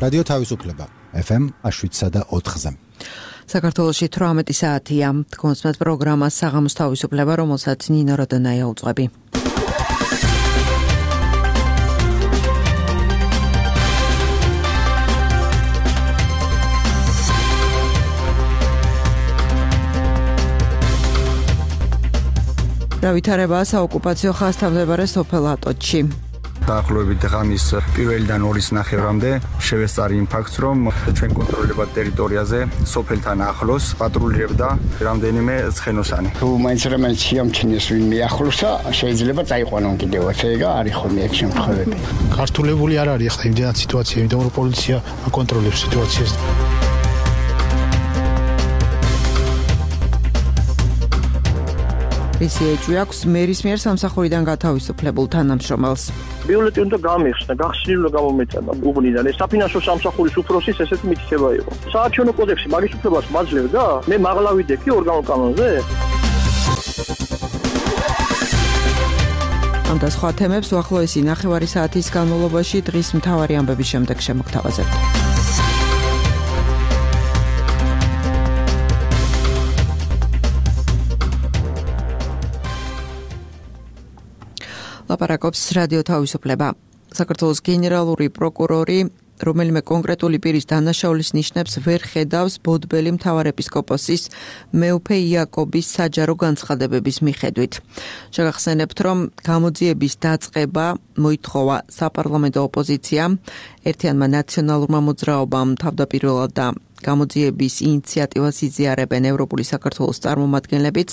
რადიო თავისუფლება FM 7.4-ზე. საქართველოში 18 საათია. კონსმეთ პროგრამა საღამოს თავისუფლება, რომელსაც ნინო როდონაია უძღვები. დავითარება საოკუპაციო ხაზთან მდებარე სოფელ ატოჩში. დაახლოებით ღამის 1-დან 2-ის ნახევრამდე შევესწარი იმ ფაქტს, რომ ჩვენ კონტროლებად ტერიტორიაზე სოფელთან ახლოს პატრულირებდა რამდენიმე ცხენოსანი. თუ მაინც რამე შეამჩნიეს ვინმე ახლოსა, შეიძლება წაიყვანონ კიდევაც, ეგა არის ხოლმე ეს შემთხვევები. ქართულებული არ არის ახლა იმდენად სიტუაცია, იმიტომ რომ პოლიცია აკონტროლებს სიტუაციას. ისეჭი აქვს მერის მიერ სამსახურიდან გათავისუფლებულ თანამშრომელს. ბიულეტი უნდა გამიხსნა, გახსნილი უნდა გამომეწადა უბნიდან. ეს საფინანსო სამსახურის უფროსის ესეთი მითითება იყო. საარჩევნო კოდექსი მაგის უფლებას მაძლევდა? მე მაღლა ვიდექი ორგანულ კანონზე? ამ და სხვა თემებს უახლოესი ნახევარი საათის განმავლობაში დღის მთავარი ამბების შემდეგ შემოგთავაზებთ. ლაპარაკობს რადიო თავისუფლება. საქართველოს გენერალური პროკურორი რომელიმე კონკრეტული პირის დანაშაულის ნიშნებს ვერ ხედავს ბოდბელი მთავარეპისკოპოსის მეუფე იაკობის საჯარო განცხადებების მიხედვით. შეგახსენებთ, რომ გამოძიების დაწყება მოითხოვა საპარლამენტო ოპოზიციამ, ერთიანმა ნაციონალურმა მოძრაობამ თავდაპირველად და გამოძიების ინიციატივას იზიარებენ ევროპული საქართველოს წარმომადგენლებიც.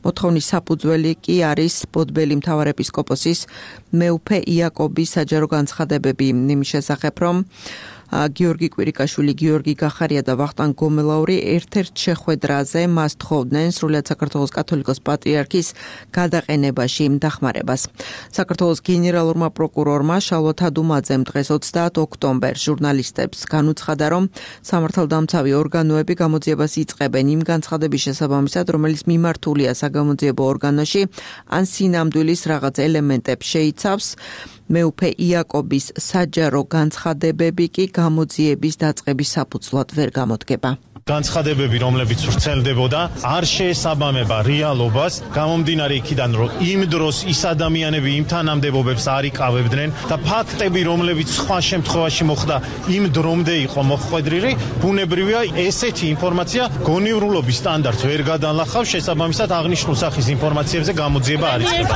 მოთხოვნის საფუძველი კი არის ბოდბელი მთავარეპისკოპოსის მეუფე იაკობის საჯარო განცხადებები იმის შესახებ, რომ გიორგი კვირიკაშვილი, გიორგი გახარია და ვახტანგ გომელაური ერთ-ერთ შეხვედრაზე მას თხოვდნენ სრულიად საქართველოს კათოლიკოს პატრიარქის გადაყენებაში დახმარებას. საქართველოს გენერალურმა პროკურორმა შალვა თადუმაძემ დღეს 30 ოქტომბერს ჟურნალისტებს განუცხადა, რომ სამართალდამცავი ორგანოები გამოძიებას იწყებენ იმ განცხადების შესაბამისად, რომელიც მიმართულია საგამოძიებო ორგანოში ან სინამდვილის რაღაც ელემენტებს შეიცავს. მეუფე იაკობის საჯარო განცხადებები კი გამოძიების დაწყების საფუძვლად ვერ გამოდგება. განცხადებები, რომლებიც ვრცელდებოდა, არ შეესაბამება რეალობას, გამომდინარე იქიდან, რომ იმ დროს ის ადამიანები იმ თანამდებობებს არ იკავებდნენ და ფაქტები, რომლებიც სხვა შემთხვევაში მოხდა, იმ დრომდე იყო მოხვედრილი, ბუნებრივია ესეთი ინფორმაცია გონიურულობის სტანდარტს ვერ გადაანახავს, შესაბამისად აღნიშნულ სახის ინფორმაციებზე გამოძიება არ იწყება.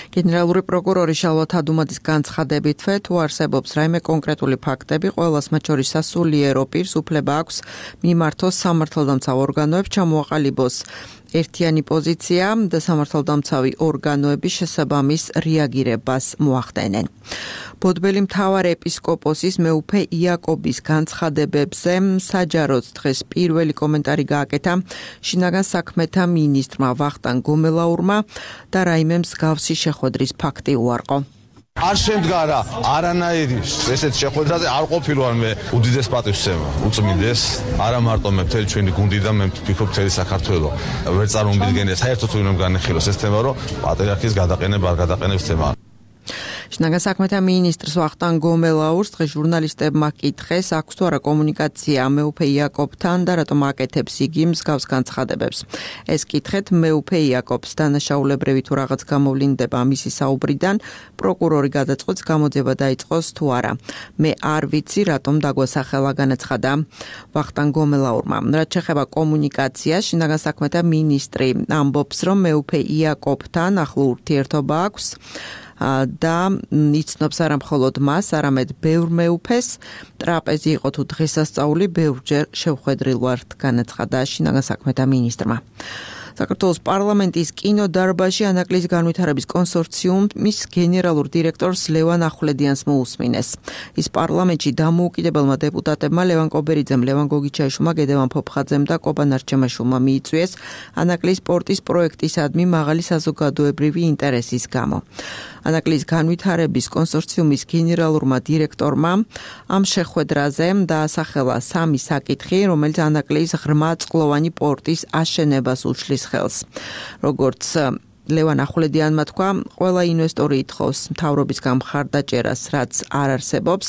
გენერალური პროკურორი შალვა თადუმაძის განცხადებით, თუ არსებობს რაიმე კონკრეტული ფაქტები, ყველას მათ შორის სასულიერო პირს უფლება აქვს მიმართოს სამართალდამცავ ორგანოებს, ჩამოაყალიბოს ერთიანი პოზიცია და სამართალდამცავი ორგანოების შესაბამის რეაგირებას მოახდენენ. ბოდბელი მთავარეპისკოპოსის მეუფე იაკობის განცხადებებზე საჯაროდ დღეს პირველი კომენტარი გააკეთა შინაგან საქმეთა მინისტრმა ვახტანგ გომელაურმა და რაიმე მსგავსი შეხვედრის ფაქტი უარყო. არ შემდგა რა არანაირი ესეთ შეხვედრაზე არ ყოფილვარ მე უდიდეს პატივსცემა უწმინდეს არა მარტო მე მთელი ჩვენი გუნდი და მე ვფიქრობ მთელი საქართველო ვერ წარმოვიდგენია საერთოდ თუ რომ განეხილოს ეს თემა რომ პატრიარქის გადაყენება არ გადაყენებს თემა. შინაგან საქმეთა მინისტრს ვახტანგ გომელაურს დღეს ჟურნალისტებმა კითხეს, აქვს თუ არა კომუნიკაცია მეუფე იაკობთან და რატომ აკეთებს იგი მსგავს განცხადებებს. ეს კითხეთ მეუფე იაკობს დანაშაულებრივი თუ რაღაც გამოვლინდება მისი საუბრიდან, პროკურორი გადაწყვეტს გამოძიება დაიწყოს თუ არა. მე არ ვიცი რატომ დაგვასახელა, განაცხადა ვახტანგ გომელაურმა. რაც შეეხება კომუნიკაციას, შინაგან საქმეთა მინისტრი ამბობს, რომ მეუფე იაკობთან ახლო ურთიერთობა აქვს და იცნობს არა მხოლოდ მას, არამედ ბევრ მეუფეს. ტრაპეზი იყო თუ დღესასწაული, ბევრჯერ შევხვედრილ ვართ, განაცხადა შინაგან საქმეთა მინისტრმა. საქართველოს პარლამენტის კინოდარბაზში ანაკლის განვითარების კონსორციუმის გენერალურ დირექტორს ლევან ახვლედიანს მოусმინეს. ის პარლამენტში დამოუკიდებელმა დეპუტატებმა ლევან კობერიძემ, ლევან გოგიჩაიშვილმა, გედევან ფოფხაძემ და კობან არჩემაშვილმა მიიწვიეს ანაკლის სპორტის პროექტისადმი მაღალი საზოგადოებრივი ინტერესის გამო. ანაკლის განვითარების კონსორციუმის გენერალურმა დირექტორმა ამ შეხვედრაზე დაასახელა სამი საკითხი, რომელიც ანაკლის ღრმაწყლოვანი პორტის აშენებას უშლის ხელს. როგორც ლევან ახვლედიანმა თქვა, ყველა ინვესტორი ითხოვს მთავრობისგან მხარდაჭერას, რაც არ არსებობს.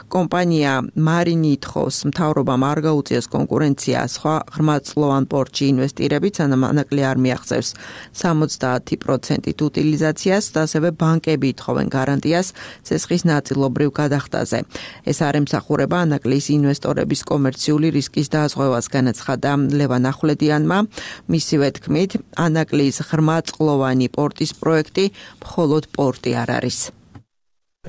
კომპანია მარინი ითხოვს მთავრობამ არ გაუწიოს კონკურენცია სხვა ღრმაწლოვან პორტში ინვესტირებით, სანამ ანაკლი არ მიაღწევს 70% უტილიზაციას და ასევე ბანკები ითხოვენ გარანტიას ცესხის ნაწილობრივ გადახდაზე. ეს არ ემსახურება ანაკლის ინვესტორების კომერციული რისკის დაზღვევას, განაცხადა ლევან ახვლედიანმა. მისივე თქმით, ანაკლის ღრმაწლოვანი პორტის პროექტი მხოლოდ პორტი არ არის.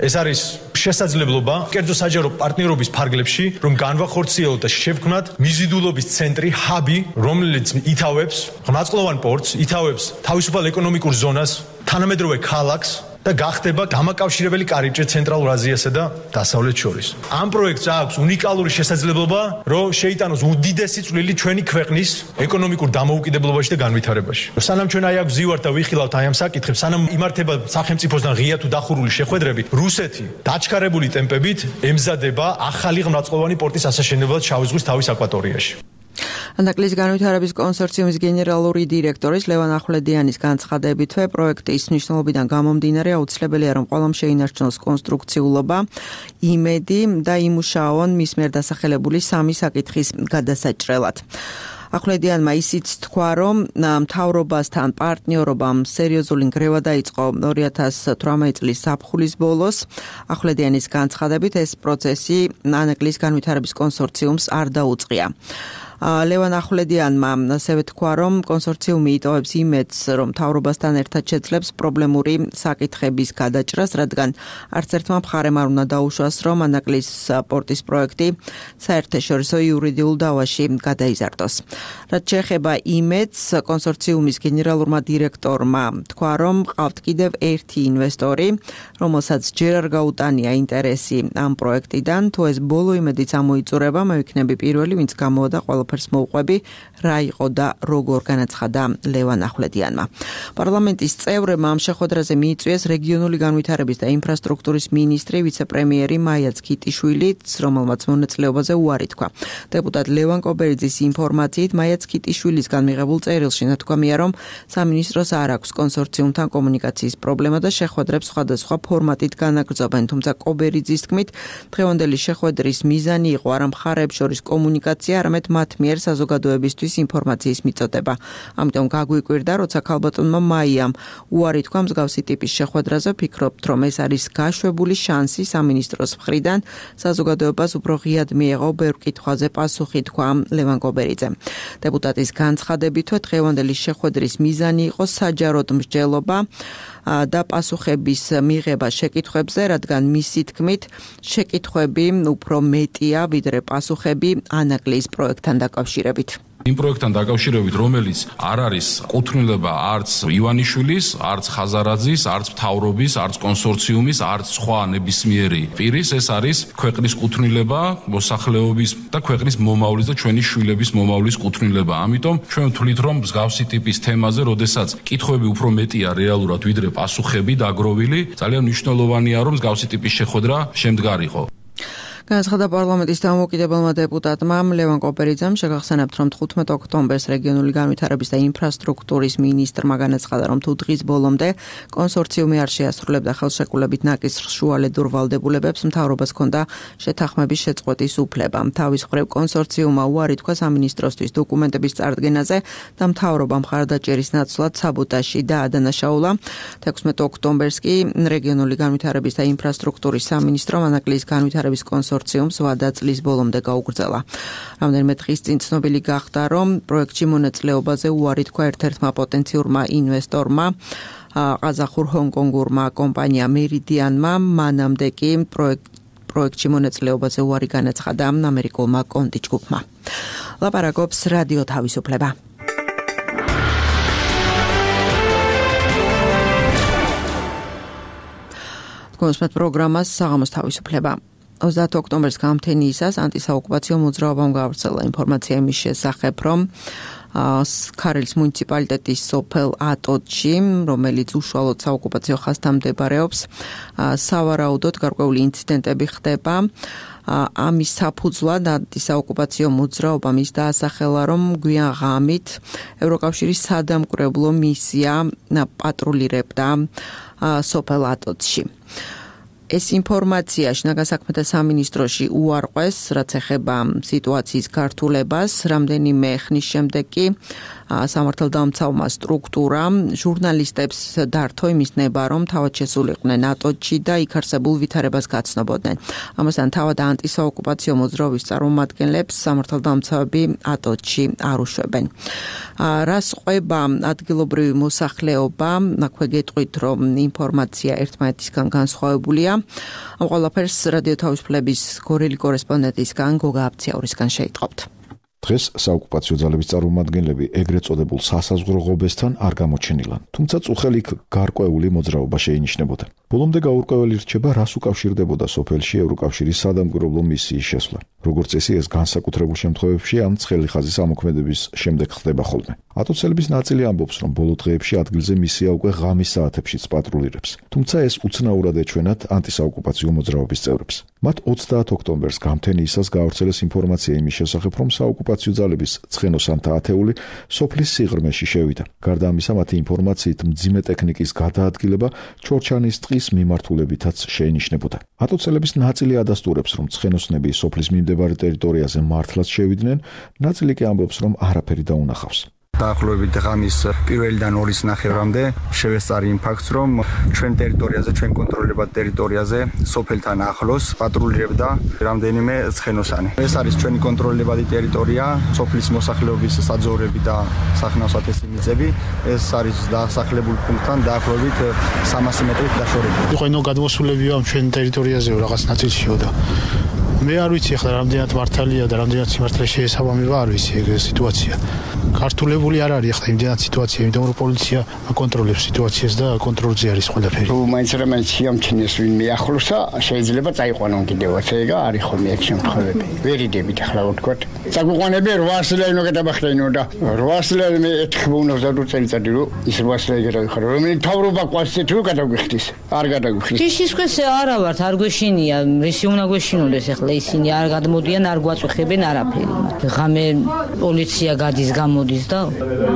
ეს არის შესაძლებლობა კერძო საჯარო პარტნიორობის ფარგლებში, რომ განვახორციელოთ და შევქმნათ მიზიდულობის ცენტრი, ჰაბი, რომელიც ითავებს ღრმაწლოვან პორტს, ითავებს თავისუფალ ეკონომიკურ ზონას, თანამედროვე ქალაქს და გახდება დამაკავშირებელი კარიბჭე ცენტრალურ აზიასა და დასავლეთ შორის. ამ პროექტს აქვს უნიკალური შესაძლებლობა, რომ შეიტანოს უდიდესი წვლილი ჩვენი ქვეყნის ეკონომიკურ დამოუკიდებლობაში და განვითარებაში. სანამ ჩვენ აი აქ ვზივართ და ვიხილავთ აი ამ საკითხებს, სანამ იმართება სახელმწიფოსთან ღია თუ დახურული შეხვედრები, რუსეთი დაჩქარებული ტემპებით ემზადება ახალი ღრმაწლოვანი პორტის ასაშენებლად შავი ზღვის თავის აკვატორიაში. ანაკლის განვითარების კონსორციუმის გენერალური დირექტორის ლევან ახვლედიანის განცხადებითვე პროექტის მნიშვნელობიდან გამომდინარე აუცილებელია რომ ყველამ შეინარჩუნოს კონსტრუქციულობა, იმედი და იმუშაონ მის მიერ დასახელებული სამი საკითხის გადასაჭრელად. ახვლედიანმა ისიც თქვა, რომ მთავრობასთან პარტნიორობამ სერიოზული ნგრევა დაიწყო 2018 წლის ზაფხულის ბოლოს. ახვლედიანის განცხადებით ეს პროცესი ანაკლის განვითარების კონსორციუმს არ დაუწყია. ლევან ახვლედიანმა ასევე თქვა, რომ კონსორციუმი იტოვებს იმედს, რომ მთავრობასთან ერთად შეძლებს პრობლემური საკითხების გადაჭრას, რადგან არც ერთმა მხარემ არ უნდა დაუშვას, რომ ანაკლის პორტის პროექტი საერთაშორისო იურიდიულ დავაში გადაიზარდოს. რაც შეეხება იმედს, კონსორციუმის გენერალურმა დირექტორმა თქვა, რომ ყავთ კიდევ ერთი ინვესტორი, რომელსაც ჯერ არ გაუტანია ინტერესი ამ პროექტიდან, თუ ეს ბოლო იმედიც ამოიწურება, მე ვიქნები პირველი, ვინც გამოვიდა ყველაფერს მოუყვები, რა იყო და როგორ, განაცხადა ლევან ახვლედიანმა. პარლამენტის წევრებმა ამ შეხვედრაზე მიიწვიეს რეგიონული განვითარების და ინფრასტრუქტურის მინისტრი, ვიცე-პრემიერი მაია ცქიტიშვილი, რომელმაც მონაწილეობაზე უარი თქვა. დეპუტატ ლევან კობერიძის ინფორმაციით, მაია ცქიტიშვილისგან მიღებულ წერილში ნათქვამია, რომ სამინისტროს არ აქვს კონსორციუმთან კომუნიკაციის პრობლემა და შეხვედრებს სხვადასხვა ფორმატით განაგრძობენ, თუმცა კობერიძის თქმით, დღევანდელი შეხვედრის მიზანი იყო არა მხარეებს შორის კომუნიკაცია, არამედ მათ მიერ საზოგადოებისთვის ინფორმაციის მიწოდება. ამიტომ გაგვიკვირდა, როცა ქალბატონმა მაიამ უარი თქვა მსგავსი ტიპის შეხვედრაზე, ვფიქრობთ, რომ ეს არის გაშვებული შანსი სამინისტროს მხრიდან საზოგადოებას უფრო ღიად მიეღო ბევრ კითხვაზე პასუხი, თქვა ლევან კობერიძემ. დეპუტატის განცხადებითვე დღევანდელი შეხვედრის მიზანი იყო საჯაროდ მსჯელობა და პასუხების მიღება შეკითხვებზე, რადგან მისი თქმით, შეკითხვები უფრო მეტია, ვიდრე პასუხები ანაკლის პროექტთან დაკავშირებით. იმ პროექტთან დაკავშირებით, რომელიც არ არის კუთვნილება არც ივანიშვილის, არც ხაზარაძის, არც მთავრობის, არც კონსორციუმის, არც სხვა ნებისმიერი პირის, ეს არის ქვეყნის კუთვნილება, მოსახლეობის და ქვეყნის მომავლის და ჩვენი შვილების მომავლის კუთვნილება. ამიტომ ჩვენ ვთვლით, რომ მსგავსი ტიპის თემაზე, როდესაც კითხვები უფრო მეტია რეალურად, ვიდრე პასუხები დაგროვილი, ძალიან მნიშვნელოვანია, რომ მსგავსი ტიპის შეხვედრა შემდგარიყო. განაცხადა პარლამენტის დამოუკიდებელმა დეპუტატმა ლევან კობერიძემ, შეგახსენებთ, რომ 15 ოქტომბერს რეგიონული განვითარების და ინფრასტრუქტურის მინისტრმა განაცხადა, რომ თუ დღის ბოლომდე კონსორციუმი არ შეასრულებდა ხელშეკრულებით ნაკისრ შუალედურ ვალდებულებებს, მთავრობას ჰქონდა შეთანხმების შეწყვეტის უფლება. თავის მხრივ კონსორციუმმა უარი თქვა სამინისტროსთვის დოკუმენტების წარდგენაზე და მთავრობა მხარდაჭერის ნაცვლად საბოტაჟში დაადანაშაულა. 16 ოქტომბერს კი რეგიონული განვითარების და ინფრასტრუქტურის სამინისტრომ ანაკლის განვითარების კონსორციუმს ვადა წლის ბოლომდე გაუგრძელა. რამდენიმე დღის წინ ცნობილი გახდა, რომ პროექტში მონაწილეობაზე უარი თქვა ერთ-ერთმა პოტენციურმა ინვესტორმა, ყაზახურ ჰონკონგურმა კომპანია მერიდიანმა, მანამდე კი პროექტში მონაწილეობაზე უარი განაცხადა ამერიკულმა კონტი ჯგუფმა. ლაპარაკობს რადიო თავისუფლება. თქვენს პროგრამას საღამოს თავისუფლება. 30 ოქტომბერს გამთენიისას ანტისაოკუპაციო მოძრაობამ გაავრცელა ინფორმაცია იმის შესახებ, რომ ქარელის მუნიციპალიტეტის სოფელ ატოჩში, რომელიც უშუალოდ საოკუპაციო ხაზთან მდებარეობს. სავარაუდოდ გარკვეული ინციდენტები ხდება. ამის საფუძვლად ანტისაოკუპაციო მოძრაობა მის დაასახელა, რომ გვიან ღამით ევროკავშირის სადამკვირვებლო მისია პატრულირებდა სოფელ ატოჩში. ეს ინფორმაცია შინაგან საქმეთა სამინისტროში უარყვეს, რაც ეხება სიტუაციის გართულებას. რამდენიმე ხნის შემდეგ კი სამართალდამცავმა სტრუქტურამ ჟურნალისტებს დართო იმის ნება, რომ თავად შესულიყვნენ ატოჩში და იქ არსებულ ვითარებას გაცნობოდნენ. ამასთან თავად ანტისაოკუპაციო მოძრაობის წარმომადგენლებს სამართალდამცავები ატოჩში არ უშვებენ. რას ყვება ადგილობრივი მოსახლეობა, აქვე გეტყვით, რომ ინფორმაცია ერთმანეთისგან განსხვავებულია. ამ ყველაფერს რადიო თავისუფლების გორელი კორესპონდენტისგან გოგა აბციაურისგან შეიტყობთ. დღეს საოკუპაციო ძალების წარმომადგენლები ეგრეთ წოდებულ სასაზღვრო ღობესთან არ გამოჩენილან, თუმცა წუხელი გარკვეული მოძრაობა შეინიშნებოდა. ბოლომდე გაურკვეველი რჩება, რას უკავშირდებოდა სოფელში ევროკავშირის სადამკვირვებლო მისიის შესვლა. როგორც წესი, ეს განსაკუთრებულ შემთხვევებში ამ ცხელი ხაზის ამოქმედების შემდეგ ხდება ხოლმე. ატოცელების ნაწილი ამბობს, რომ ბოლო დღეებში ადგილზე მისია უკვე ღამის საათებშიც პატრულირებს, თუმცა ეს უცნაურად ეჩვენათ ანტისაოკუპაციო მოძრაობის წევრებს. მათ 30 ოქტომბერს გამთენიისას გაავრცელეს ინფორმაცია იმის შესახებ, რომ საოკუპაციო ძალების ცხენოსანთა ათეული სოფლის სიღრმეში შევიდა. გარდა ამისა, მათი ინფორმაციით მძიმე ტექნიკის გადაადგილება ჩორჩანის ტყის მიმართულებითაც შეინიშნებოდა. ატოცელების ნაწილი ადასტურებს, რომ ცხენოსნები სოფლის მიმდებარე ტერიტორიაზე მართლაც შევიდნენ, ნაწილი კი ამბობს, რომ არაფერი დაუნახავს. დაახლოებით ღამის 1-დან 2-ის ნახევრამდე შევესწარი იმ ფაქტს, რომ ჩვენ ტერიტორიაზე, ჩვენ კონტროლებად ტერიტორიაზე სოფელთან ახლოს პატრულირებდა რამდენიმე ცხენოსანი. ეს არის ჩვენი კონტროლებადი ტერიტორია, სოფლის მოსახლეობის საძოვრები და სახნავ-სათესი მიწები. ეს არის დასახლებულ პუნქტთან დაახლოებით 300 მეტრით დაშორებული. იყო ნუ გადმოსულებია ამ ჩვენ ტერიტორიაზეო რაღაც ნაწილშიო და მე არ ვიცი ახლა რამდენად მართალია და რამდენად სიმართლე შეესაბამება, არ ვიცი ეგ სიტუაცია. ქართულებული არ არის ახლა იმდენად სიტუაცია, იმიტომ რომ პოლიცია აკონტროლებს სიტუაციას და კონტროლზე არის ყველაფერი. თუ მაინც რამე შეამჩნიეს ვინმე ახლოსა, შეიძლება წაიყვანონ კიდევაც ეგა არის ხოლმე ეგ შემთხვევები. ვერიდებით ახლა ვთქვათ. წაგვიყვანები 800 ლარი უნდა გადაბახდეინო და 800 ლარი მე ეთქბო უნდა ვზადო წელიწადი რომ ის 800 ლარი გადავიხარო. რომელი თავრობა ყავს ისეთ რომ გადაგვიხდის. არ გადაგვიხდის. ის ქვესე არა ვართ, არ გვეშინია, რისი უნდა გვეშინოდეს ახლა ისინი არ გადმოდიან, არ გვაწუხებენ არაფერი. ღამე პოლიცია გადის გამოდის და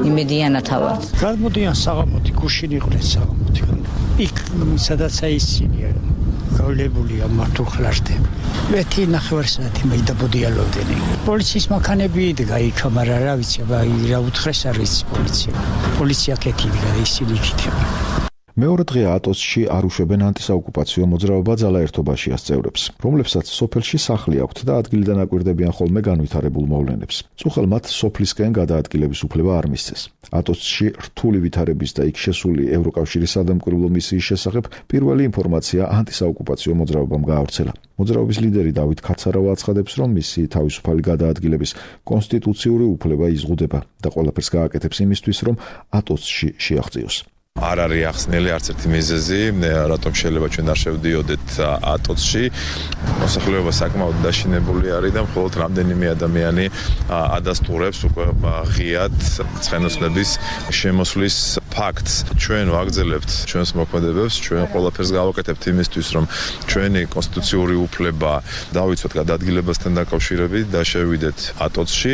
იმედიანად ავართ. გადმოდიან საღამოთი, გუშინ იყვნენ საღამოთი. იქ სადაც აისინია გავლებულია მართუხლაშტე. მეთი ნახევარსაათი მე დაბოდიალობდნენ. პოლიციის მანქანები იდგა იქ, მაგრამ რა ვიცი, რა უთხრეს არის პოლიცია. პოლიცია კეთილია ისინი იქნება. მეორე დღე ატოსში არ უშვებენ ანტისაოკუპაციო მოძრაობა ძალაერთობაშიას წევრებს, რომლებსაც სოფელში სახლი აქვთ და ადგილიდან აკვირდებიან ხოლმე განვითარებულ მოვლენებს. წუხელ მათ სოფლისკენ გადაადგილების უფლება არ მისცეს. ატოსში რთული ვითარების და იქ შესული ევროკავშირის სადამკვირვებლო მისიის შესახებ პირველი ინფორმაცია ანტისაოკუპაციო მოძრაობამ გაავრცელა. მოძრაობის ლიდერი დავით ქაცარავა აცხადებს, რომ მისი თავისუფალი გადაადგილების კონსტიტუციური უფლება იზღუდება და ყველაფერს გააკეთებს იმისთვის, რომ ატოსში შეაღწიოს. არ არის ახსნელი არც ერთი მიზეზი, რატომ შეიძლება ჩვენ არ შევდიოდეთ ატოცში. მოსახლეობა საკმაოდ დაშინებული არის და მხოლოდ რამდენიმე ადამიანი ადასტურებს უკვე ღიად ცხენოსნების შემოსვლის ფაქტს. ჩვენ ვაგრძელებთ ჩვენს მოქმედებებს, ჩვენ ყველაფერს გავაკეთებთ იმისთვის, რომ ჩვენი კონსტიტუციური უფლება დავიცვათ გადაადგილებასთან დაკავშირებით და შევიდეთ ატოცში.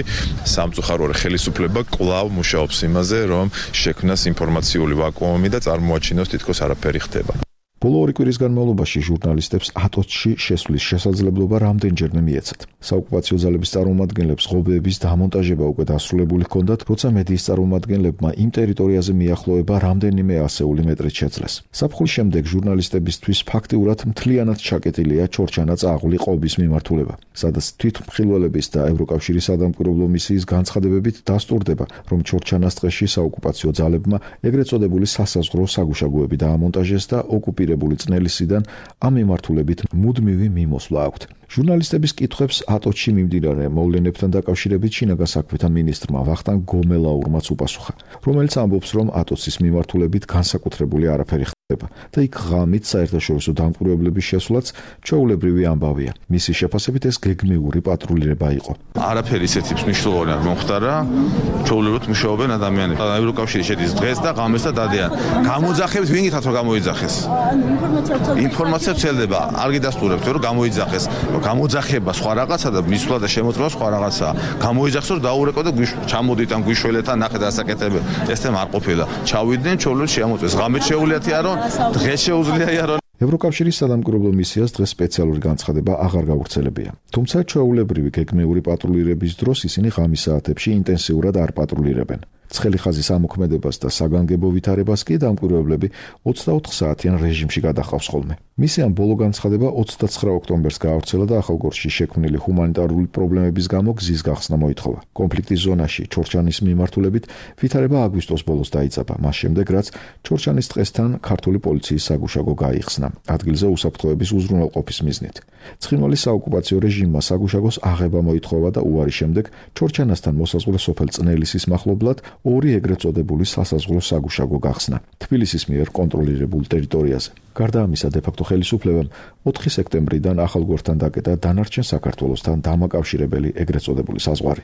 სამწუხაროა ხელისუფლება კვლავ მუშაობს იმაზე, რომ შექმნას ინფორმაციული ვაკუუმი და წარმოაჩინოს თითქოს არაფერი ხდება. ბოლო 2 კვირის განმავლობაში ჟურნალისტებს ატოცში შესვლის შესაძლებლობა რამდენჯერმე მიეცათ. საოკუპაციო ძალების წარმომადგენლებს ღობეების დამონტაჟება უკვე დასრულებული ჰქონდათ, როცა მედიის წარმომადგენლებმა იმ ტერიტორიაზე მიახლოება რამდენიმე ასეული მეტრით შეძლეს. საფხულის შემდეგ ჟურნალისტებისთვის ფაქტიურად მთლიანად ჩაკეტილია ჩორჩანა-წაღვლი ყობის მიმართულება, სადაც თვითმხილველების და ევროკავშირის სადამკვირვებლო მისიის განცხადებებით დასტურდება, რომ ჩორჩანას ტყეში საოკუპაციო ძალებმა ეგრეთ წოდებული სასაზღვრო საგუშაგოები დაამონტაჟეს და ოკუპირებული წნელისიდან ამ მიმართულებით მუდმივი მიმოსვლა აქვთ. ჟურნალისტების კითხვებს ატოცში მიმდინარე მოვლენებთან დაკავშირებით შინაგან საქმეთა მინისტრმა ვახტანგ გომელაურმაც უპასუხა, რომელიც ამბობს, რომ ატოცის მიმართულებით განსაკუთრებული არაფერი და იქ ღამით საერთაშორისო დამკვირვებლების შესვლაც ჩვეულებრივი ამბავია. მისი შეფასებით ეს გეგმიური პატრულირება იყო. არაფერი ისეთი მნიშვნელოვანი არ მომხდარა, ჩვეულებრივად მუშაობენ ადამიანები. ევროკავშირი შედის დღეს და ღამეს და დადიან. გამოძახებით ვინ გითხართ რომ გამოიძახეს? ინფორმაცია ვრცელდება, არ გიდასტურებთ რომ გამოიძახეს. გამოძახება სხვა რაღაცა და მისვლა და შემოწმება სხვა რაღაცა. გამოიძახეს რომ დაურეკო და ჩამოდით ან გვიშველეთ ან ნახეთ ასაკეთებენ. ეს თემა არ ყოფილა. ჩავიდნენ ჩვეულებრივად შეამოწმეს. ღამით შეუძლიათ რომ დღეს შეუძლია იარო. ევროკავშირის სადამკვირვებლო მისიას დღეს სპეციალური განცხადება აღარ გავრცელებია. თუმცა ჩვეულებრივი გეგმიური პატრულირების დროს ისინი ღამის საათებში ინტენსიურად არ პატრულირებენ. ცხელი ხაზის ამოქმედებას და საგანგებო ვითარებას კი დამკვირვებლები 24 საათიან რეჟიმში გადახავს ხოლმე. მისიამ ბოლო განცხადება 29 ოქტომბერს გაავრცელა და ახალგორში შექმნილი ჰუმანიტარული პრობლემების გამო გზის გახსნა მოითხოვა. კონფლიქტის ზონაში ჩორჩანის მიმართულებით ვითარება აგვისტოს ბოლოს დაიწყება, მას შემდეგ რაც ჩორჩანის ტყესთან ქართული პოლიციის საგუშაგო გაიხსნა, ადგილზე უსაფრთხოების უზრუნველყოფის მიზნით. ცხინვალის საოკუპაციო რეჟიმმა საგუშაგოს აღება მოითხოვა და უარის შემდეგ ჩორჩანასთან მოსაზღვრე სოფელ წნელისის მახლობლად ორი ეგრეთ წოდებული სასაზღვრო საგუშაგო გახსნა თბილისის მიერ კონტროლირებულ ტერიტორიაზე. გარდა ამისა, დე-ფაქტო ხელისუფლებამ 4 სექტემბრიდან ახალგორთან დაკეტა დანარჩენ საქართველოსთან დამაკავშირებელი ეგრეთ წოდებული საზღვარი.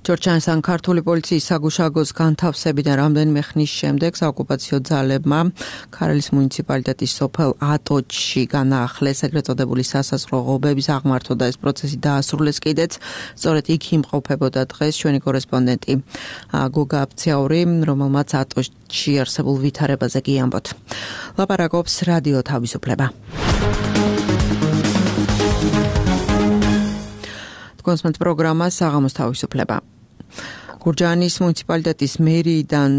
ჩორჩანსთან ქართული პოლიციის საგუშაგოს განთავსებიდან რამდენიმე ხნის შემდეგ საოკუპაციო ძალებმა ქარელის მუნიციპალიტეტის სოფელ ატოჩში განაახლეს ეგრეთ წოდებული სასაზღვრო ღობების აღმართვა და ეს პროცესი დაასრულეს კიდეც. სწორედ იქ იმყოფებოდა დღეს ჩვენი კორესპონდენტი გოგა აფციაური, რომელმაც ატოჩში არსებულ ვითარებაზე გიამბოთ. ლაპარაკობს რადიო თავისუფლება. კონსმენტ პროგრამა საღამოს თავისუფლება. გურჯაანის მუნიციპალიტეტის მერიიდან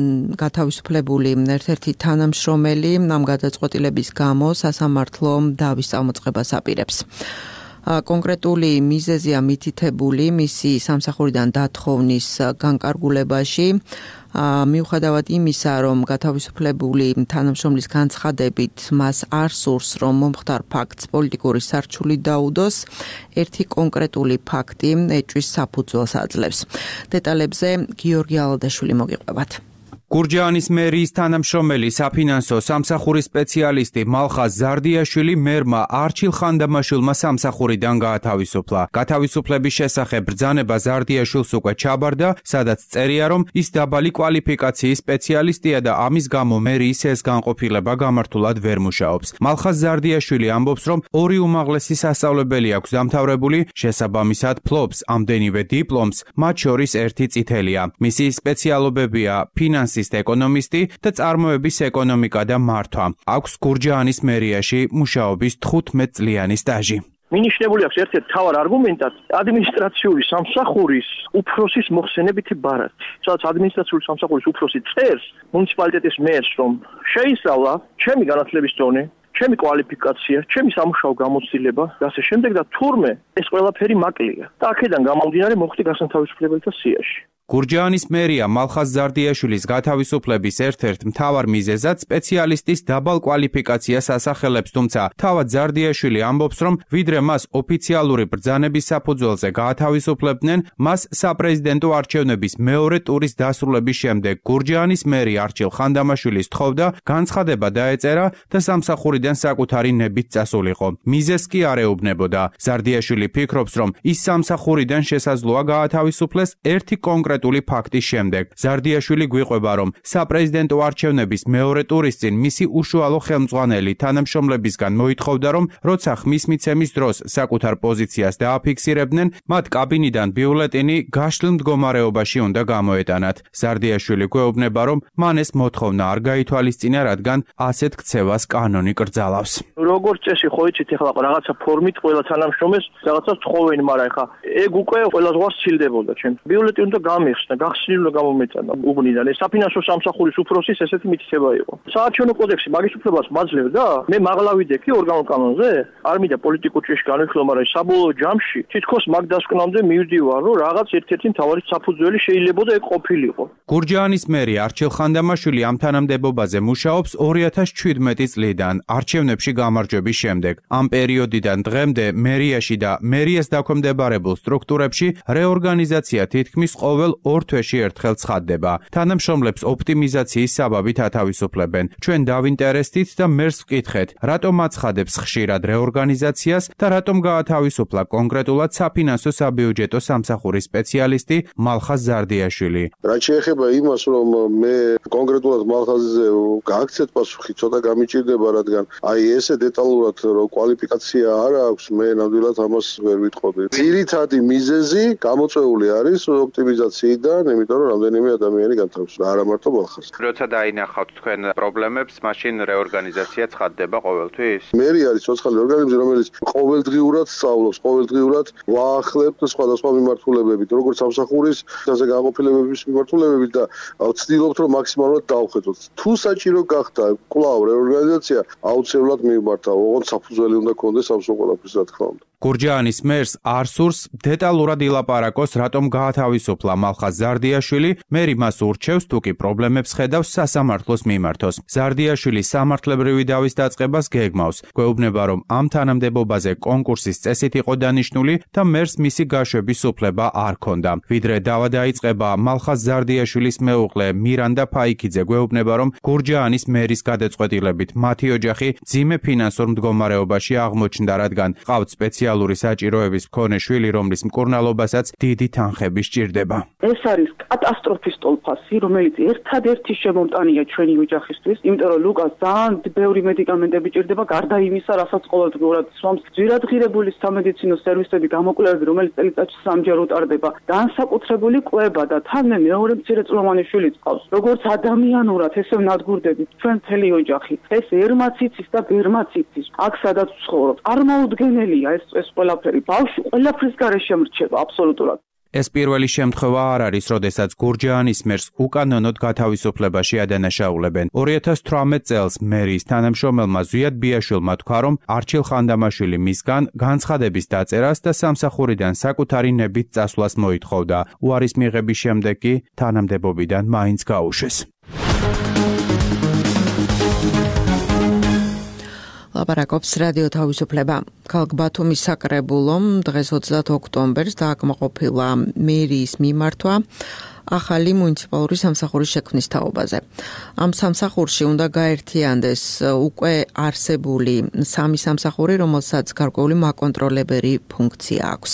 გათავისუფლებული ერთ-ერთი თანამშრომელი ამ გადაწყვეტილების გამო სასამართლო დავის წამოწყებას აპირებს. კონკრეტული მიზეზია მითითებული მისი სამსახურიდან დათხოვნის განკარგულებაში. მიუხედავად იმისა, რომ გათავისუფლებული თანამშრომლის განცხადებით მას არ სურს, რომ მომხდარ ფაქტს პოლიტიკური სარჩული დაუდოს, ერთი კონკრეტული ფაქტი ეჭვის საფუძველს აძლევს. დეტალებზე გიორგი ალადაშვილი მოგიყვებათ. გურჯაანის მერიის თანამშრომელი საფინანსო სამსახურის სპეციალისტი მალხაზ ზარდიაშვილი მერმა არჩილ ხანდამაშვილმა სამსახურიდან გაათავისუფლა. გათავისუფლების შესახებ ბრძანება ზარდიაშვილს უკვე ჩაბარდა, სადაც წერია, რომ ის დაბალი კვალიფიკაციის სპეციალისტია და ამის გამო მერიის ეს განყოფილება გამართულად ვერ მუშაობს. მალხაზ ზარდიაშვილი ამბობს, რომ ორი უმაღლესი სასწავლებელი აქვს დამთავრებული, შესაბამისად ფლობს ამდენივე დიპლომს, მათ შორის ერთი წითელია. მისი სპეციალობებია ფინანსი ეკონომისტი და წარმოების ეკონომიკა და მართვა. აქვს გურჯაანის მერიაში მუშაობის 15 წლიანი სტაჟი. მინიშნებული აქვს ერთ-ერთ მთავარ არგუმენტად ადმინისტრაციული სამსახურის უფროსის მოხსენებითი ბარათი. სადაც ადმინისტრაციული სამსახურის უფროსი წერს მუნიციპალიტეტის მერს, რომ შეისწავლა ჩემი განათლების დონე, ჩემი კვალიფიკაცია, ჩემი სამუშაო გამოცდილება და ასე შემდეგ და თურმე ეს ყველაფერი მაკლია. და აქედან გამომდინარე მოხდი გასათავისუფლებელთა სიაში. გურჯაანის მერია მალხაზ ზარდიაშვილის გათავისუფლების ერთ-ერთ მთავარ მიზეზად სპეციალისტის დაბალ კვალიფიკაციას ასახელებს, თუმცა თავად ზარდიაშვილი ამბობს, რომ ვიდრე მას ოფიციალური ბრძანების საფუძველზე გაათავისუფლებდნენ, მას საპრეზიდენტო არჩევნების მეორე ტურის დასრულების შემდეგ გურჯაანის მერი არჩილ ხანდამაშვილის თხოვდა განცხადება დაეწერა და სამსახურიდან საკუთარი ნებით წასულიყო. მიზეზს კი არ ეუბნებოდა. ზარდიაშვილი ფიქრობს, რომ ის სამსახურიდან შესაძლოა გაათავისუფლეს ერთი კონკრეტული ფაქტის შემდეგ. ზარდიაშვილი გვიყვება, რომ საპრეზიდენტო არჩევნების მეორე ტურის წინ მისი უშუალო ხელმძღვანელი თანამშრომლებისგან მოითხოვდა, რომ როცა ხმის მიცემის დროს საკუთარ პოზიციას დააფიქსირებდნენ, მათ კაბინიდან ბიულეტინი გაშლილ მდგომარეობაში უნდა გამოეტანათ. ზარდიაშვილი გვეუბნება, რომ მან ეს მოთხოვნა არ გაითვალისწინა, რადგან ასეთ ქცევას კანონი კრძალავს. როგორც წესი ხო იცით, ეხლა რაღაცა ფორმით ყველა თანამშრომელს რაღაცას თხოვენ, მაგრამ ეხლა ეგ უკვე ყველა ზღვას სცილდებოდა ჩემ. ბიულეტინი უნდა გამიხსნა, გახსნილი უნდა გამომეტანა უბნიდან. ეს საფინანსო სამსახურის უფროსის ესეთი მითითება იყო. საარჩევნო კოდექსი მაგის უფლებას მაძლევდა. მე მაღლა ვიდექი ორგანულ კანონზე, არ მინდა პოლიტიკურ ჭრილში განვიხილო, მაგრამ საბოლოო ჯამში თითქოს მაგ დასკვნამდე მივდივარ, რომ რაღაც ერთ-ერთი მთავარი საფუძველი შეიძლებოდა ეგ ყოფილიყო. გურჯაანის მერი არჩილ ხანდამაშვილი ამ თანამდებობაზე მუშაობს 2017 წლიდან არჩევნებში გამარჯვების შემდეგ. ამ პერიოდიდან დღემდე მერიაში და მერიას დაქვემდებარებულ სტრუქტურებში რეორგანიზაცია თითქმის ყოველ 2 თვეში ერთხელ ცხადდება. თანამშრომლებს ოპტიმიზაციის საბაბით ათავისუფლებენ. ჩვენ დავინტერესდით და მერს ვკითხეთ, რატომ აცხადებს ხშირად რეორგანიზაციას და რატომ გაათავისუფლა კონკრეტულად საფინანსო საბიუჯეტო სამსახურის სპეციალისტი მალხაზ ზარდიაშვილი. რაც შეეხება იმას, რომ მე კონკრეტულად მალხაზზე გააქცეთ პასუხი, ცოტა გამიჭირდება, რადგან აი ესე დეტალურად რომ კვალიფიკაცია არ აქვს, მე ნამდვილად ამას ვერ ვიტყოდი. ძირითადი მიზეზი გამოწვეული არის ოპტიმიზაციიდან, იმიტომ რომ რამდენიმე ადამიანი განთავისუფლდა, არა მარტო მალხაზი. როცა დაინახავთ თქვენ პრობლემებს, მაშინ რეორგანიზაცია ცხადდება ყოველთვის? მერი არის ცოცხალი ორგანიზმი, რომელიც ყოველდღიურად სწავლობს, ყოველდღიურად ვაახლებთ სხვადასხვა მიმართულებებით, როგორც სამსახურის ასე განყოფილებების მიმართულებებით და ვცდილობთ, რომ მაქსიმალურად დავხედოთ. თუ საჭირო გახდა კვლავ რეორგანიზაცია, აუცილებლად მივმართავ, ოღონდ საფუძველი უნდა ქონდეს ამ ყველაფრის, რა თქმა უნდა. გურჯაანის მერს არ სურს დეტალურად ილაპარაკოს, რატომ გაათავისუფლა მალხაზ ზარდიაშვილი, მერი მას ურჩევს, თუ კი პრობლემებს ხედავს, სასამართლოს მიმართოს. ზარდიაშვილი სამართლებრივი დავის დაწყებას გეგმავს. გვეუბნება, რომ ამ თანამდებობაზე კონკურსის წესით იყო დანიშნული და მერს მისი გაშვების უფლება არ ჰქონდა. ვიდრე დავა დაიწყება, მალხაზ ზარდიაშვილის მეუღლე მირანდა ფაიქიძე გვეუბნება, რომ გურჯაანის მერის გადაწყვეტილებით მათი ოჯახი ძიმე ფინანსურ მდგომარეობაში აღმოჩნდა, რადგან ყავთ სპეციალური საჭიროების მქონე შვილი, რომლის მკურნალობასაც დიდი თანხები სჭირდება. ეს არის კატასტროფის ტოლფასი, რომელიც ერთადერთი შემომტანია ჩვენი ოჯახისთვის, იმიტომ რომ ლუკას ძალიან ბევრი მედიკამენტები ჭირდება, გარდა იმისა, რასაც ყოველდღიურად სვამს. ძვირადღირებული სამედიცინო სერვისები, გამოკვლევები, რომელიც წელიწადში 3 ჯერ უტარდება, განსაკუთრებული კვლევა და თან მე მეორე მცირეწლოვანი შვილი წავს. როგორც ადამიანურად, ესე ვნადგურდებით ჩვენ მთელი ოჯახი. ეს ერმაც იცის და ბერმაც იცის. აქ სადაც ვცხოვრობ, წარმოუდგენელია ეს ყველაფერი. ბავშვი ყველაფრის გარეშე მრჩება აბსოლუტურად. ეს პირველი შემთხვევა არ არის, როდესაც გურჯაანის მერს უკანონოდ გათავისუფლებაში ადანაშაულებენ. 2018 წელს მერის თანამშრომელმა ზვიად ბიაშვილმა თქვა, რომ არჩილ ხანდამაშვილი მისგან განცხადების დაწერას და სამსახურიდან საკუთარი ნებით წასვლას მოითხოვდა. უარის მიღების შემდეგ კი თანამდებობიდან მაინც გაუშვეს. ლაპარაკობს რადიო თავისუფლება. ქალაქ ბათუმის საკრებულომ დღეს 20 ოქტომბერს დააკმაყოფილა მერიის მიმართვა ახალი მუნიციპალური სამსახურის შექმნის თაობაზე. ამ სამსახურში უნდა გაერთიანდეს უკვე არსებული 3 სამსახური, რომელსაც გარკვეული მაკონტროლებელი ფუნქცია აქვს.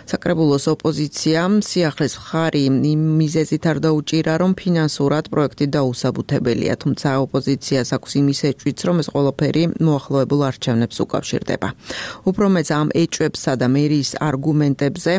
საკრებულოს ოპოზიციამ სიახლის მხარი იმ მიზეზით არ დაუჭირა, რომ ფინანსურად პროექტი დაუსაბუთებელია, თუმცა ოპოზიციას აქვს იმის ეჭვიც, რომ ეს ყველაფერი მოახლოებულ არჩევნებს უკავშირდება. უფრო მეც ამ ეჭვებსა და მერიის არგუმენტებზე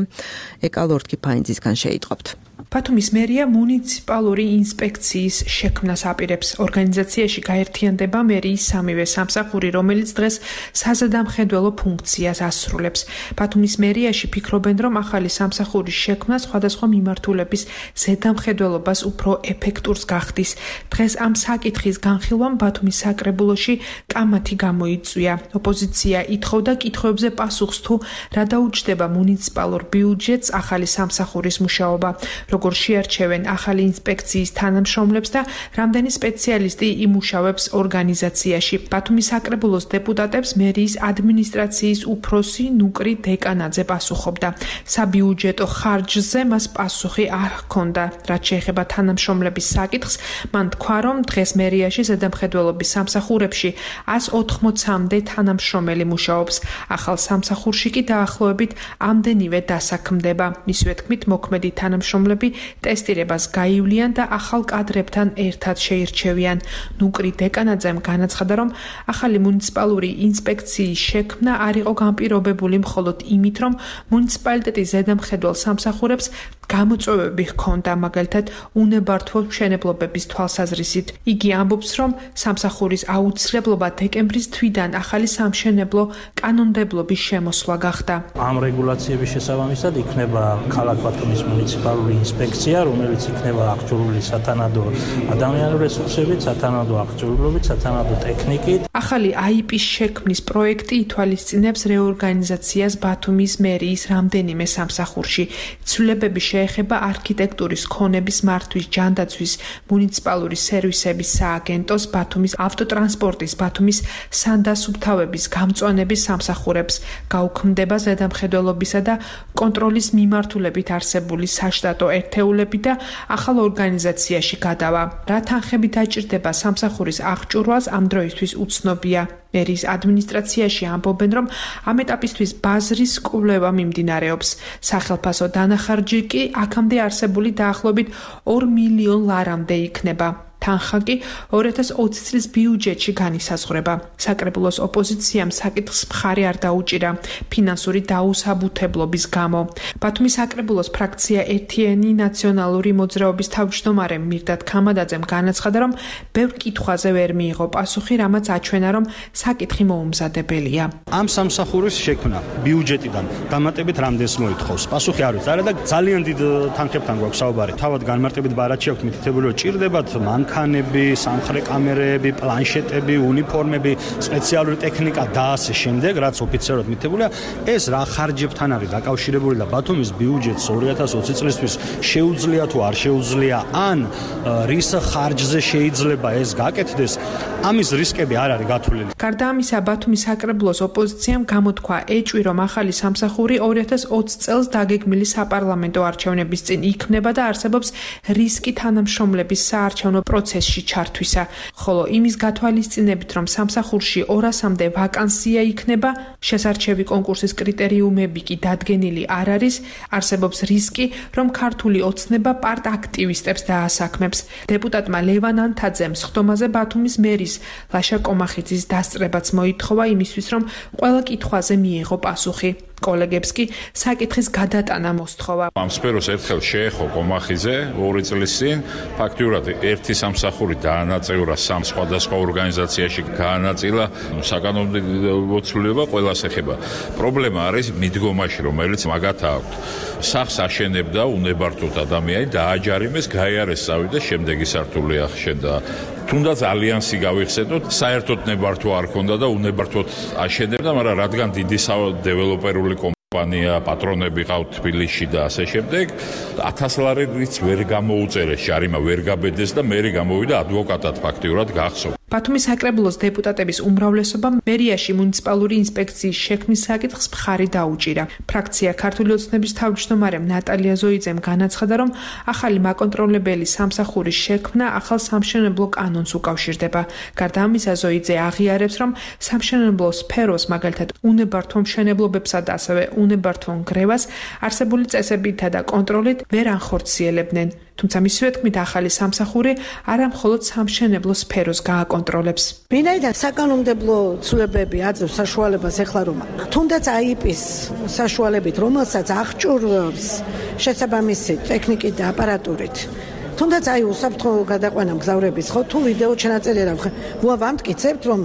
ეკალორთკი ფაინძისგან შეიტყობთ. ბათუმის მერია მუნიციპალური ინსპექციის შექმნას აპირებს. ორგანიზაციაში გაერთიანდება მერიის 3-ვე სამსახური, რომელიც დღეს საზედამხედველო ფუნქციას ასრულებს. ბათუმის მერიაში ფიქრობენ, რომ ახალი სამსახურის შექმნა სხვადასხვა მიმართულების ზედამხედველობას უფრო ეფექტურს გახდის. დღეს ამ საკითხის განხილვამ ბათუმის საკრებულოში კამათი გამოიწვია. ოპოზიცია ითხოვდა კითხვებზე პასუხს, თუ რა დაუჯდება მუნიციპალურ ბიუჯეტს ახალი სამსახურის მუშაობა. როგორ შეარჩევენ ახალი ინსპექციის თანამშრომლებს და რამდენი სპეციალისტი იმუშავებს ორგანიზაციაში. ბათუმის საკრებულოს დეპუტატებს მერიის ადმინისტრაციის უფროსი ნუკრი დეკანაძე პასუხობდა. საბიუჯეტო ხარჯზე მას პასუხი არ ჰქონდა. რაც შეეხება თანამშრომლების საკითხს, მან თქვა, რომ დღეს მერიაში ზედამხედველობის სამსახურებში 180-მდე თანამშრომელი მუშაობს. ახალ სამსახურში კი დაახლოებით ამდენივე დასაქმდება. მისივე თქმით, მოქმედი თანამშრომლები ტესტირებას გაივლიან და ახალ კადრებთან ერთად შეირჩევიან. ნუკრი დეკანაძემ განაცხადა, რომ ახალი მუნიციპალური ინსპექციის შექმნა არ იყო განპირობებული მხოლოდ იმით, რომ მუნიციპალიტეტის ზედამხედველ სამსახურებს გამოწვევები ჰქონდა, მაგალითად უნებართვო მშენებლობების თვალსაზრისით. იგი ამბობს, რომ სამსახურის აუცილებლობა დეკემბრის თვიდან ახალი სამშენებლო კანონმდებლობის შემოსვლა გახდა. ამ რეგულაციების შესაბამისად იქნება ქალაქ ბათუმის მუნიციპალური ინსპექცია, რომელიც იქნება აღჭურვილი სათანადო ადამიანური რესურსებით, სათანადო აღჭურვილობით, სათანადო ტექნიკით. ახალი IP-ის შექმნის პროექტი ითვალისწინებს რეორგანიზაციას ბათუმის მერიის რამდენიმე სამსახურში. ცვლილებების შეეხება არქიტექტურის ქონების მართვის, ჯანდაცვის, მუნიციპალური სერვისების სააგენტოს, ბათუმის ავტოტრანსპორტის, ბათუმის სანდასუფთავების, გამწვანების სამსახურებს, გაუქმდება ზედამხედველობისა და კონტროლის მიმართულებით არსებული საშტატო ერთეულები და ახალ ორგანიზაციაში გადავა. რა თანხები დაჭირდება სამსახურის აღჭურვალს ამ დროისთვის უცნობია. მერის ადმინისტრაციაში ამბობენ, რომ ამ ეტაპისთვის ბაზრის კვლევა მიმდინარეობს. სახელმწიფო დანახარჯი კი აქამდე არსებული დაახლოებით 2 მილიონ ლარამდე იქნება. თანხა კი 2020 წლის ბიუჯეტში განისაზღვრება. საკრებულოს ოპოზიციამ საკითხს მხარი არ დაუჭირა ფინანსური დაუსაბუთებლობის გამო. ბათუმის საკრებულოს ფრაქცია ერთიანი ნაციონალური მოძრაობის თავმჯდომარე მირდად ქამადაძემ განაცხადა, რომ ბევრ კითხვაზე ვერ მიიღო პასუხი, რამაც აჩვენა, რომ საკითხი მოუმზადებელია. ამ სამსახურის შექმნა ბიუჯეტიდან დამატებით რამდენს მოითხოვს? პასუხი არ ვიცი. არა და ძალიან დიდ თანხებთან გვაქვს საუბარი. თავად განმარტებით ბარათში აქვთ მითითებული, რომ ჭირდებათ მანქანები, სამხრე კამერები, პლანშეტები, უნიფორმები, სპეციალური ტექნიკა და ასე შემდეგ, რაც ოფიციალურად მითითებულია. ეს რა ხარჯებთან არის დაკავშირებული და ბათუმის ბიუჯეტს 2020 წლისთვის შეუძლია თუ არ შეუძლია, ან რის ხარჯზე შეიძლება ეს გაკეთდეს, ამის რისკები არ არის გათვლილი. გარდა ამისა, ბათუმის საკრებულოს ოპოზიციამ გამოთქვა ეჭვი, რომ ახალი სამსახური 2020 წელს დაგეგმილი საპარლამენტო არჩევნების წინ იქმნება და არსებობს რისკი თანამშრომლების საარჩევნო პროცესში ჩართვისა, ხოლო იმის გათვალისწინებით, რომ სამსახურში 200-მდე ვაკანსია იქნება, შესარჩევი კონკურსის კრიტერიუმები კი დადგენილი არ არის, არსებობს რისკი, რომ ქართული ოცნება პარტ-აქტივისტებს დაასაქმებს. დეპუტატმა ლევან ანთაძემ სხდომაზე ბათუმის მერის ლაშა კომახიძის დასწრებაც მოითხოვა იმისთვის, რომ ყველა კითხვაზე მიეღო პასუხი. კოლეგებს კი საკითხის გადატანა მოსთხოვა. ამ სფეროს ერთხელ შეეხო კომახიძე 2 წლის წინ, ფაქტიურად ერთი სამსახური დაანაწევრა 3 სხვადასხვა ორგანიზაციაში, გაანაწილა საკანონმდებლო ცვლილება ყველას ეხება. პრობლემა არის მიდგომაში, რომელიც მაგათა აქვთ. სახლს აშენებდა უნებართვოდ ადამიანი, დააჯარიმეს, გაიარეს წავიდა და შემდეგი სართული ახშენდა. თუნდაც ალიანსი გავიხსენოთ, საერთოდ ნებართვა არ ქონდა და უნებართვოდ აშენებდა, მაგრამ რადგან დიდი დეველოპერული კომპანია, პატრონები ყავთ თბილისში და ასე შემდეგ, 1000 ლარიც ვერ გამოუწერეს, ჟარიმა ვერ გაბედეს და მე გამოვიდა ადვოკატად ფაქტიურად გახსოვ. ბათუმის საკრებულოს დეპუტატების უმრავლესობამ მერიაში მუნიციპალური ინსპექციის შექმნის საკითხს მხარი დაუჭირა. ფრაქცია ქართული ოცნების თავმჯდომარემ ნატალია ზოიძემ განაცხადა, რომ ახალი მაკონტროლებელი სამსახურის შექმნა ახალ სამშენებლო კანონს უკავშირდება. გარდა ამისა, ზოიძე აღიარებს, რომ სამშენებლო სფეროს, მაგალითად უნებართვო მშენებლობებსა და ასევე უნებართვო ნგრევას არსებული წესებითა და კონტროლით ვერ ანხორციელებდნენ. თუმცა მისივე თქმით, ახალი სამსახური არა მხოლოდ სამშენებლო სფეროს გააკონტროლებს. ვინაიდან საკანონმდებლო ცვლილებები აძლევს საშუალებას ეხლა რომ თუნდაც აიპის საშუალებით, რომელსაც აღჭურვებს შესაბამისი ტექნიკით და აპარატურით, თუნდაც უსაფრთხო გადაყვანა მგზავრების ხო თუ ვიდეო ჩანაწერი რა ვამტკიცებთ რომ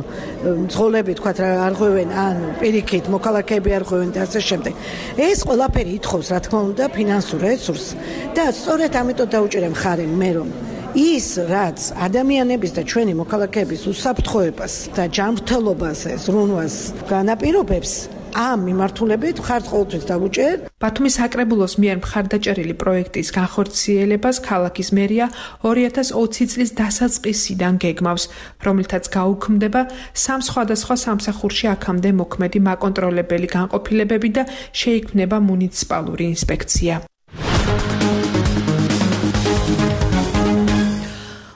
მძღოლები თქვა არ ღვევენ ან პირიქით მოქალაქეები არ ღვევენ და ასე შემდეგ. ეს ყველაფერი ითხოვს რა თქმა უნდა ფინანსურ რესურსს და სწორედ ამიტომ დაუჭირე მხარი მე რომ ის რაც ადამიანების და ჩვენი მოქალაქეების უსაფრთხოებას და ჯანმრთელობას ზრუნვას განაპირობებს, ამ მიმართულებით მხარს ყოველთვის დავუჭერ. ბათუმის საკრებულოს მიერ მხარდაჭერილი პროექტის განხორციელებას ქალაქის მერია 2020 წლის დასაწყისიდან გეგმავს, რომლითაც გაუქმდება 3 სხვადასხვა სამსახურში აქამდე მოქმედი მაკონტროლებელი განყოფილებები და შეიქმნება მუნიციპალური ინსპექცია.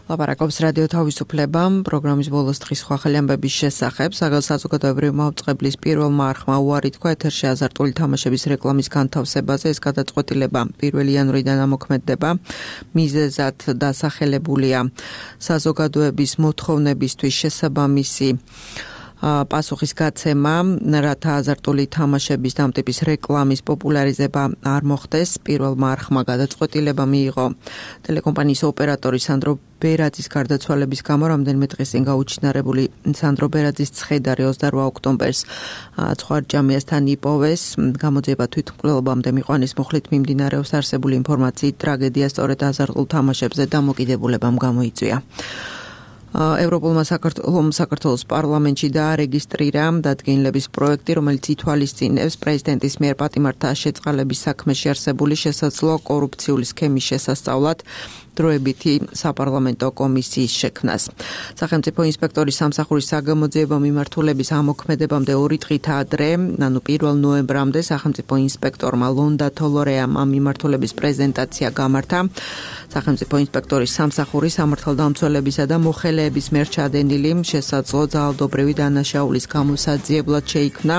ლაპარაკობს რადიო თავისუფლება პროგრამის ბოლოს დღის სხვა ახალი ამბების შესახებ. საზოგადოებრივი მაუწყებლის პირველმა არხმა უარი თქვა ეთერში აზარტული თამაშების რეკლამის განთავსებაზე. ეს გადაწყვეტილება 1 იანვრიდან ამოქმედდება. მიზეზად დასახელებულია საზოგადოების მოთხოვნებისთვის შესაბამისი პასუხის გაცემა, რათა აზარტული თამაშების და ამ ტიპის რეკლამის პოპულარიზება არ მოხდეს. პირველმა არხმა გადაწყვეტილება მიიღო ტელეკომპანიის ოპერატორი სანდრო ბერაძის გარდაცვალების გამო. რამდენიმე დღის წინ გაუჩინარებული სანდრო ბერაძის ცხედარი 28 ოქტომბერს ცხვარჯამიასთან იპოვეს. გამოძიება თვითმკვლელობამდე მიყვანის მუხლით მიმდინარეობს. არსებული ინფორმაციით ტრაგედია სწორედ აზარტულ თამაშებზე დამოკიდებულებამ გამოიწვია. ევროპულმა საქართველოს პარლამენტში დაარეგისტრირა დადგენილების პროექტი, რომელიც ითვალისწინებს პრეზიდენტის მიერ პატიმართა შეწყალების საქმეში არსებული შესაძლო კორუფციული სქემის შესასწავლად დროებითი საპარლამენტო კომისიის შექმნას. სახელმწიფო ინსპექტორის სამსახურის საგამოძიებო მიმართულების ამოქმედებამდე 2 დღით ადრე, ანუ 1 ნოემბრამდე სახელმწიფო ინსპექტორმა ლონდა თოლორეამ ამ მიმართულების პრეზენტაცია გამართა. სახელმწიფო ინსპექტორის სამსახურის სამართალდამცველებისა და მოხელეების მიერ ჩადენილი შესაძლო ძალადობრივი დანაშაულის გამოსაძიებლად შეიქმნა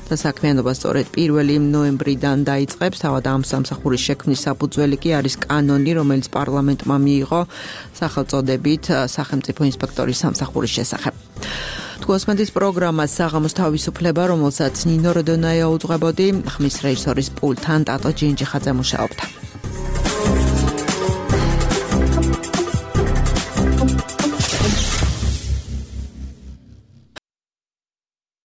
და საქმიანობა სწორედ 1 ნოემბრიდან დაიწყებს. თავად ამ სამსახურის შექმნის საფუძველი კი არის კანონი, რომელიც პარლამენტმა მიიღო სახელწოდებით სახელმწიფო ინსპექტორის სამსახურის შესახებ. თქოსმენდის პროგრამა საღამოს თავისუფლება, რომელსაც ნინო როდონაია უძღვებოდი, ხმის რეჟისორის პულტთან ტატო ჯინჯიხაძე მუშაობდა.